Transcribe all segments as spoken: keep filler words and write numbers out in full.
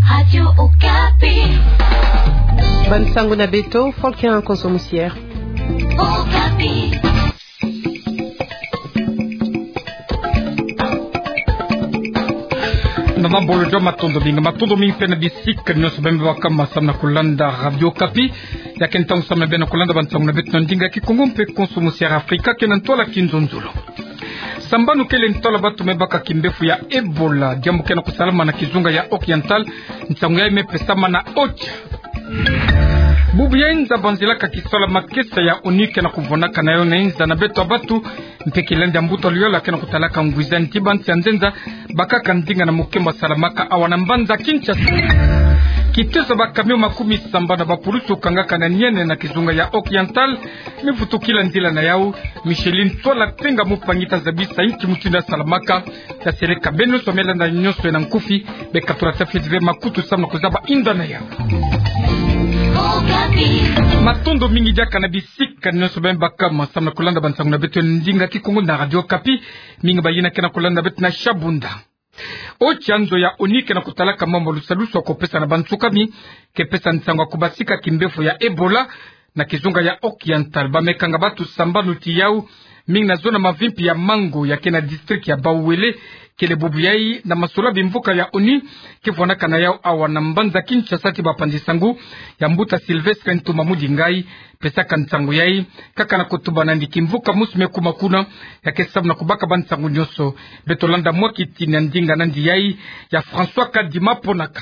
Radio Okapi. Bansango na beto, Volker Nkonso Musier. Okapi. Na mabolo jo, matondo mingi, matondo mingi mpe na bisika nyonso beno baka samu na kulanda Radio Okapi. Ya ke ntangu samu na beno kulanda bansango na beto na ndinga Kikongo mpe Nkonso Musier Afrika, ke na ntwala kinzonzolo. Sambanu kele ntwala batu me baka kimbevo ya Ebola, diambu ke na kusalama na kizunga ya Oriental, nsangu yayi me pesama na Ocha. Bubu ya inza banzilaka kisola makesa ya ONU ke na kuvwanaka na yo na inza na beto ya batu, mpe kilandi ya mbuta luyala ke na kutalaka ngwiza nti bansi ya nzenza bakaka ndinga na mukembo salamaka awa na mbanza Kinshasa. Kitezo ba camion makumi sambanu na bapulusu kangaka na niene na kizunga ya Oriental, me vutukila nzila na yau. Micheline Twala Tenga Mupangi ta zabisa inki mutindu ya salamaka. Ta seleka beno nyonso me landa nyonso na nkufi, be katula ta fioti ve makutu samu na kuzaba inda na yau. Matondo mingi diaka na bisika nyonso beno baka samu na kulanda bansango na beto ndinga Kikongo na Radio Okapi. Mingi bayina ke na kulanda beto na Shabunda. Ocha, nzo ya ONU ke na kutalaka mambu ya lusalusu ya kupesa na bansukami, ke pesa nsangu ya kubasika kimbevo ya Ebola na kizunga ya Oriental. Ba me kanga batu sambanu ti yau, mingi na zona mavimpi ya Mango ya ke na district ya Bauele. Kele bubu yayi na masolo ya bimvuka ya ONU ke vwanaka na yau awa na mbanza Kinshasa ti bapanzi sango ya mbuta Sylvestre Ntoma Mudingai, pesaka nsangu yayi, kaka na kutuba nandi kimvuka musu me kuma kuna, ya ke samu na kubaka bansangu nyonso. Beto landa mwa kitini ya ndinga nandi yayi ya François Kadima Ponaka.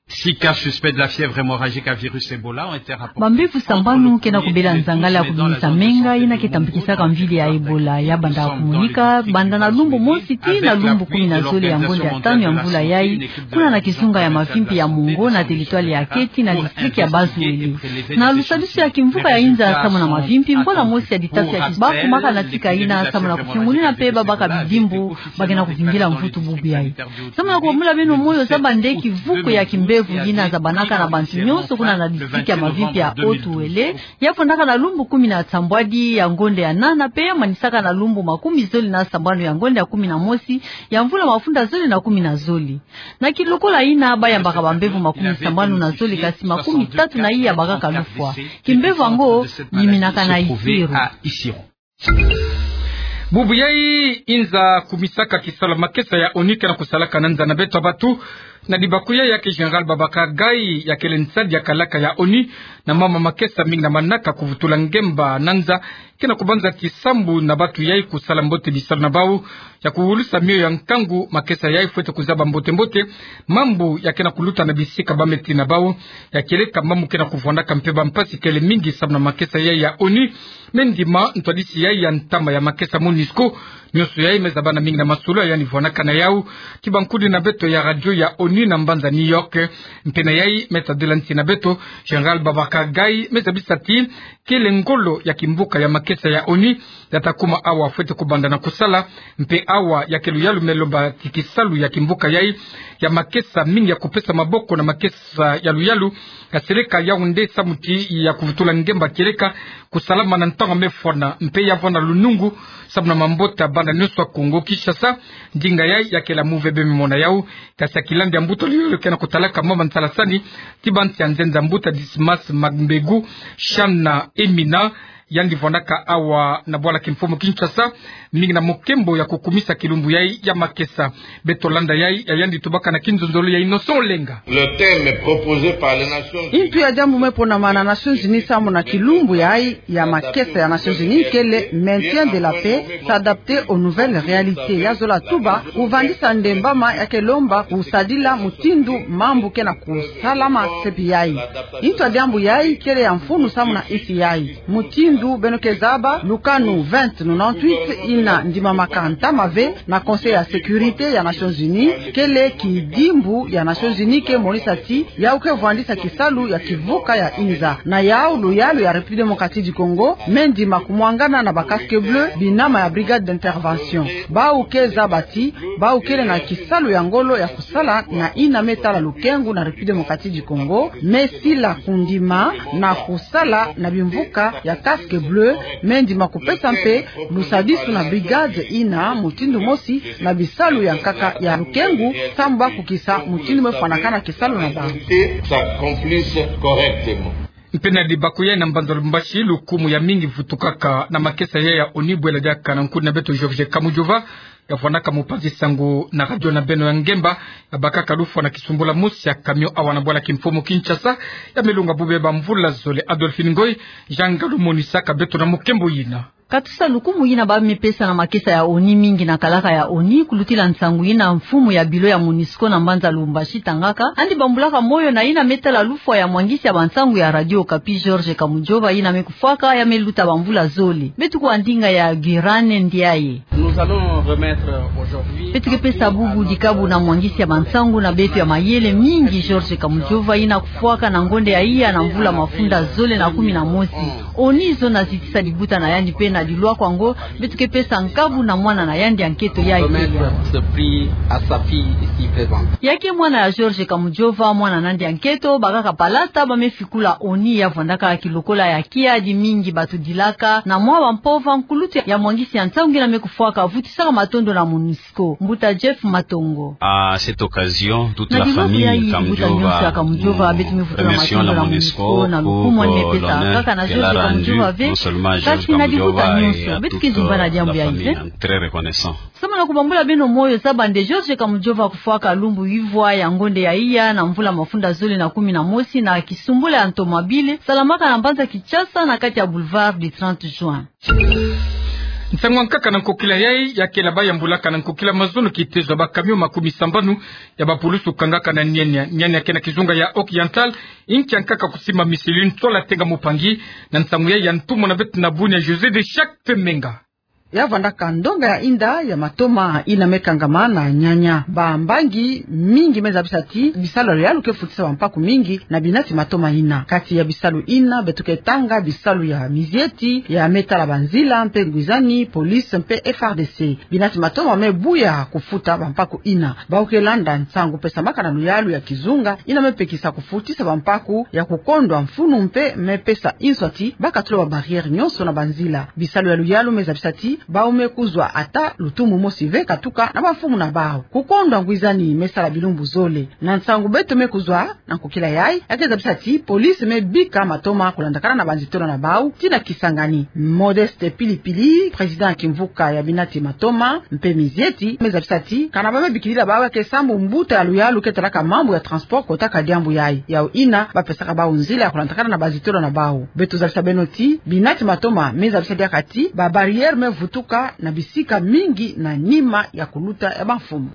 Six cas suspects de la fièvre hémorragique à virus Ebola ont été rapportés. Bambevo sambanu ke na kubela nzangala ya kubimisa menga, yina ke tambikisaka mvili ya Ebola. Ya banda kumonika banda na lumbu mosi tii na lumbu kumi na zole ya ngonde ya tanu ya mvula yayi, kuna na kizunga ya mavimpi ya Mongo na territoire ya Keti na district ya Bas-Uele. Na lusadusu ya kimvuka ya inza samu na mavimpi, mbola mosi ya ditafi ya kibaku ma kana tika yina samu na kufingulina mpe babaka bidimbu ba ke na kuvingila mvutu bubu yayi. Samu na kubambula beno moyo, zaba nde kivuku ya kimbevo yina zabanaka na bantu nyonso kuna na district ya mavimpi ya Haut-Uele, ya fondaka na lumbu kumi na sambwadi ya ngonde ya nana, mpe ya manisaka na lumbu makumi zole na sambanu ya ngonde ya kumi na mosi ya mvula mafunda zole na kumi na zole. Na kilokola yina, ba yambaka bambevo makumi sambanu na zole, kasi makumi tatu na iya bakaka lufwa. Kimbevo yango yiminaka na Isiro. Bubu yayi inza kumisaka kisola makesa ya ONU ke na kusalaka na nza na beto ya batu. Na dibaku yayi, ya ke Général Babacar Gaye, ya kele nsadi ya kalaka ya ONU na mama makesa mingi na manaka kuvutula ngemba na nza, ke na kubanza kisambu na batu yayi kusala mbote bisalu na bau, ya kuwulusa mio ya nkangu. Makesa yayi fwete kuzaba mbote-mbote mambu ya ke na kuluta na bisika ba me tii na bau. Ya kieleka mambu ke na kuvwandaka mpe bampasi kele mingi samu na makesa yayi ya ONU. Me ndima ntwadisi yayi ya ntama ya makesa MONUSCO. Nyonso yayi me zabana mingi na masolo ya yandi vwanaka na yau ti bankudi na beto ya radio ya ONU na mbanza New York. Mpe na yayi me tadila nsi na beto, Général Babacar Gaye me zabisa ti kele ngolo ya kimvuka ya makesa ya ONU ya ta kuma awa fwete kubanda na kusala. Mpe awa ya ke luyalu me lomba ti kisalu ya kimvuka yayi ya makesa mingi ya kupesa maboko na makesa ya luyalu, ka seleka yau nde samu ti ya kuvutula ngemba kieleka kusalama na ntangu me fwana, mpe ya vwanda lunungu samu na mambota bana nyonso ya Kongo Kinshasa. Ndinga yayi ya kele ya move beno me mona yau, kasi ya kilandi ya mbuta luyolo ke na kutalaka mama nsalasani ti bansi ya nzenza, mbuta Dismas Mambegu Shana Emina, yandi vwandaka awa na bwala kimfumu Kinshasa, mingi na mukembo ya kukumisa kilumbu yayi ya makesa. Beto landa yayi ya yandi tubaka na kinzonzolo ya Innocent Olenga. Le thème proposé par les Nations Unies. Intu ya diambu me ponama na Nations Unies samu na kilumbu yayi ya makesa ya Nations Unies kele maintien de la paix, s'adapter aux nouvelles réalités. Ya zola tuba kuvandisa nde mbama, ya ke lomba kusadila mutindu mambu ke na kusalama sepi yayi. Intu ya diambu yayi kele ya mfunu samu na insi yayi. Mutindu beno ke zaba, lukanu vingt nonante-huit ina ndimamaka ntama ve na Conseil ya Sécurité ya Nations Unies, kele kidimbu ya Nations Unies ke monisa ti yau ke vwandisa kisalu ya kivuka ya inza. Na yau luyalu ya République Démocratique du Congo me ndima kumwangana na ba casques bleus, binama ya Brigade d'Intervention. Bau ke zaba ti bau kele na kisalu ya ngolo ya kusala na ina me tala lukengu na République Démocratique du Congo, me sila kundima na kusala na bimvuka ya casques Bleu me ndima kupesa mpe lusadisu na brigade ina mutindu mosi na bisalu ya nkaka ya lukengu, sambu ba kukisa mutindu me fwanakana kisalu na bau. Mpe na libaku ya na mbanza Lubumbashi, lukumu ya mingi vutukaka na makesa ya ya ONU bwela diaka na nkuni na beto Georges Kamujova, ya fwanaka mopanzi sango na radio na beno ya ngemba, ya bakaka lufwa na kisumbula mosi ya camion awa na bwala kimfumu Kinshasa, ya me lunga bubeba mvula zole. Adolphine Ngoy, Jean Ngalu monisaka beto na mukembo yina. Katusa lukumu yina ba me pesa na makesa ya ONU mingi na kalaka ya ONU, kulutila nsangu yina mfumu ya bilo ya MONUSCO na mbanza Lubumbashi tangaka, yandi bambulaka moyo na yina me tala lufwa ya mwangisi ya bansangu ya Radio Okapi Georges Kamujova yina me kufwaka ya me luta bamvula zole. Beto kuwa ndinga ya Gurane Ndiaye. Beto ke pesa bubu dikabu na mwangisi ya bansangu na beto ya mayele mingi Georges Kamujova yina kufwaka na ngonde ya iya na mvula mafunda zole na kumi na mosi. ONU zona zitisa dibuta na yandi mpe na dilwakwa ngo beto ke pesa nkabu na mwana na yandi ya nketo ya ikeya. Ya ke mwana ya Georges Kamujova, mwana na yandi ya nketo, bakaka palata ba me fikula ONU ya vwandaka kilokola ya kiadi mingi bato dilaka na mwa bampova. Nkulutu ya mwangisi ya nsangu yina me kufwaka vutisaka matondo na MONUSCO. Mbuta Jeff Matongo. À cette occasion, toute la famille Kamujova, nous remercions la MONUSCO pour, euh, l'honneur qu'elle a rendu non seulement à Georges Kamujova et à toute, euh, la famille. Très reconnaissant. Samu na kubambula beno moyo, zaba nde Georges Kamujova kufwaka lumbu ivwa ya ngonde ya iya na mvula mafunda zole na kumi na mosi na kisumbula ya ntomabile salamaka na mbanza Kinshasa na kati ya boulevard du trente juin. Nsangu ya nkaka na nkokila yai, ya kela ba yambulaka na nkokila mazono kitezo ya ba camion makumi sambanu ya bapulusu kangaka na Niania. Niania ke na kizunga ya Occidental, inki ya nkaka kusimba misili ntwala tenga mupangi, na nsangu yai ya ntumwa na beto na Bunia José de Chaque Temenga. Ya vwandaka ndonga ya inda ya matoma ina me kangama na Niania. Bambangi mingi me zabisa ti bisalu ya luyalu ke futisa bampaku mingi na binati matoma ina. Kati ya bisalu ina beto ke tanga bisalu ya mizieti, ya me tala banzila, mpe ngwizani, police, mpe F R D C. Binati matoma me buya kufuta bampaku ina. Bau ke landa nsangu pesamaka na luyalu ya kizunga ina me pekisa kufutisa bampaku ya kukondwa mfunu, mpe me pesa inswa ti ba katula ba barrière nyonso na banzila. Bisalu ya luyalu me zabisa ti bau me kuzwa ata lutumu mosi ve katuka na bamfumu na bau. Kukondwa ngwizani me sala bilumbu zole. Na nsangu beto me kuzwa na nkokila yai, ya ke zabisa ti police me bika matoma kulandakana na banzitolo na bau tii na Kisangani. Modeste Pilipili, président ya kimvuka ya binati matoma mpe mizieti, me zabisa ti kana ba me bikilila bau ya ke sambu mbuta ya luyalu ke talaka mambu ya transport kotaka diambu yai. Yau ina ba pesaka bau nzila ya kulandakana na banzitolo na bau. Beto zabisa beno ti binati matoma me zabisa diaka ti ba barrière me vutuka na bisika mingi na nima ya kuluta ya bamfumu.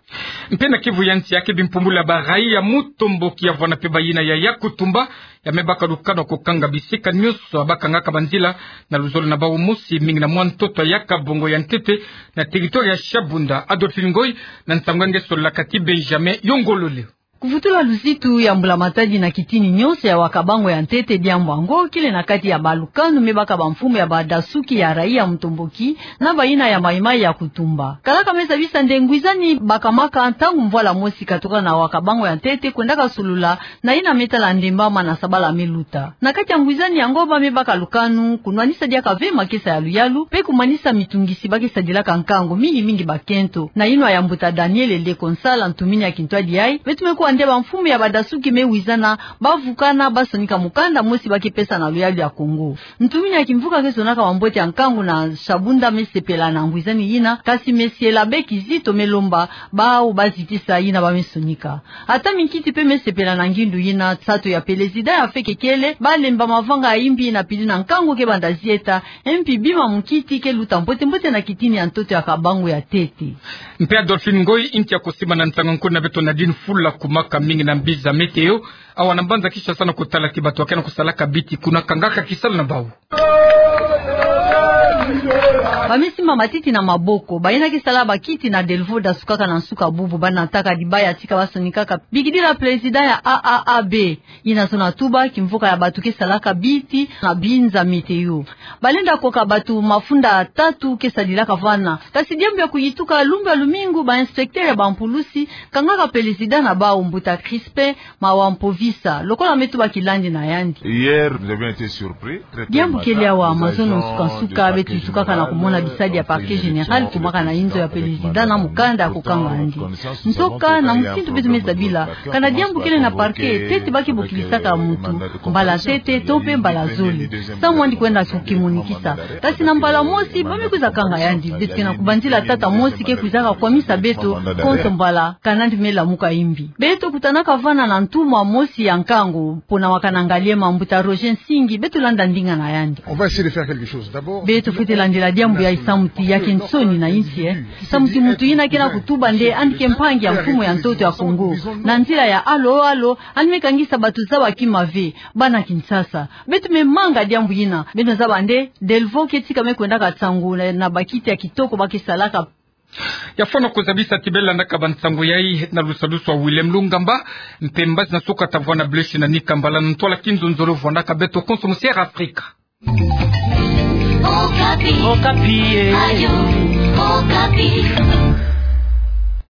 Mpe na Kivu ya nsi, ya ke bimpumbulu ya ba raia ya Mutomboki ya vwanda mpe bayina ya Yakutumba, ya me baka lukanu ya kukanga bisika nyonso ya ba kangaka banzila na luzolo na bau mosi, mingi na mwa ntoto ya Kabongo ya ntete na territoire ya Shabunda. Adolphine Ngoy na nsangu ya nge sololaka ti Benjamin Yongolole. Kuvutula luzitu ya mbula matadi na kitini nyonso ya Wakabango ya ntete, diambu yango kele na kati ya balukanu me baka bamfumu ya badasuki ya raia ya Mutomboki na bayina ya Maï-Maï ya Kutumba. Kalaka me zabisa nde ngwizani bakamaka ntangu mvwala mosi katuka na Wakabango ya ntete kwendaka solula na yina me tala ndemba mana sabala me luta. Na kati ya ngwizani yango ba me baka lukanu kunwanisa diaka ve makesa ya luyalu mpe kumanisa mitungisi ba ke sadilaka nkangu, mingi mingi bakento. Na yinwa ya mbuta Daniel Leko Nsala, ntumini ya kintwadi yai, beto me kuwa nde bamfumu ya badasuki me wizana, ba vukana, ba sonika mukanda mosi ba ke pesa na luyalu ya Kongo. Ntumini ya kimvuka ke sonaka mambote ya nkangu na Shabunda me sepela na ngwizani yina, kasi me siela be kizito, me lomba bau ba zitisa yina ba me sonika. Ata minkiti mpe me sepela na ngindu yina. Sato ya pelezida ya feke kele ba lemba mavanga ya imbi na pili na nkangu ke banda zieta, mpi bima munkiti ke luta mbote mbote na kitini ya ntoto ya Kabangu ya ntete. Mpe Adolphine Ngoy, inki ya kusimba na ntanga nkuna beto Nadine Fula, kumaka mingi na mbiza météo awa na mbanza Kinshasa na kutala ti bato ya ke na kusalaka biti kuna kangaka kisalu na bau. Ba me simba matiti na maboko, bayina ke sala bakiti na Delvaux, da sukaka na nsuka bubu, ba nataka dibaya tika ba sonikaka bikidila prezida ya A A A B. Yina zona tuba kimvuka ya batu ke salaka biti na binza météo. Balenda koka batu mafunda tatu ke sadilaka vana. Kasi diambu ya kuyituka, lumbu ya lumingu ba inspecteur ya bampulusi kangaka prezida na bau, mbuta Crispin Mawa Mpovisa, lokola me tuba kilandi na yandi. Hier, nous avions été surpris. Diambu kele awa, mazono nsuka-nsuka beto yitukaka na kumona bisadi ya parquet général kumaka na inzo ya prezida na mukanda ya kukanga yandi. Ntoka na mutindu beto me zabila, kana diambu kele na parquet, ntete ba ke bokilisaka muntu mbala ntete to mpe mbala zole, samu yandi kwenda kukimonikisa. Kasi na mbala mosi ba me kwiza kanga yandi. Beto ke na kubanzila tata mosi ke kwizaka kwamisa beto konso mbala kana yandi me lamuka imbi. Beto kutanaka vana na ntumwa mosi ya nkangu, pona wakana ngaliema, mbuta Roger Nsingi, beto landa ndinga na yandi. On va essayer de faire quelque chose. D'abord, beto fwete landila diambu ya isamu ti ya ke nsoni na insi, eh. Samu ti muntu yina ke na kutuba nde yandi ke mpangi ya mfumu ya ntoto ya Kongo, na nzila ya alo-alo, yandi me kangisa batu zaba kimave, bana Kinshasa. Beto me manga diambu yina, beno zaba nde Delvaux ke tika me kwendaka nsangu na, na bakiti ya kitoko ba ke salaka. Ya fwana kuzabisa ti beno landaka bansangu yayi na lusadusu ya Willem Lungamba, mpe mbazi na suka ta vwana Bleuche na Nika Mbala na ntwala kinzonzolo vwanaka beto konso mu Sierra Africa. Okapi. Okapi, eh. Ayo, Okapi.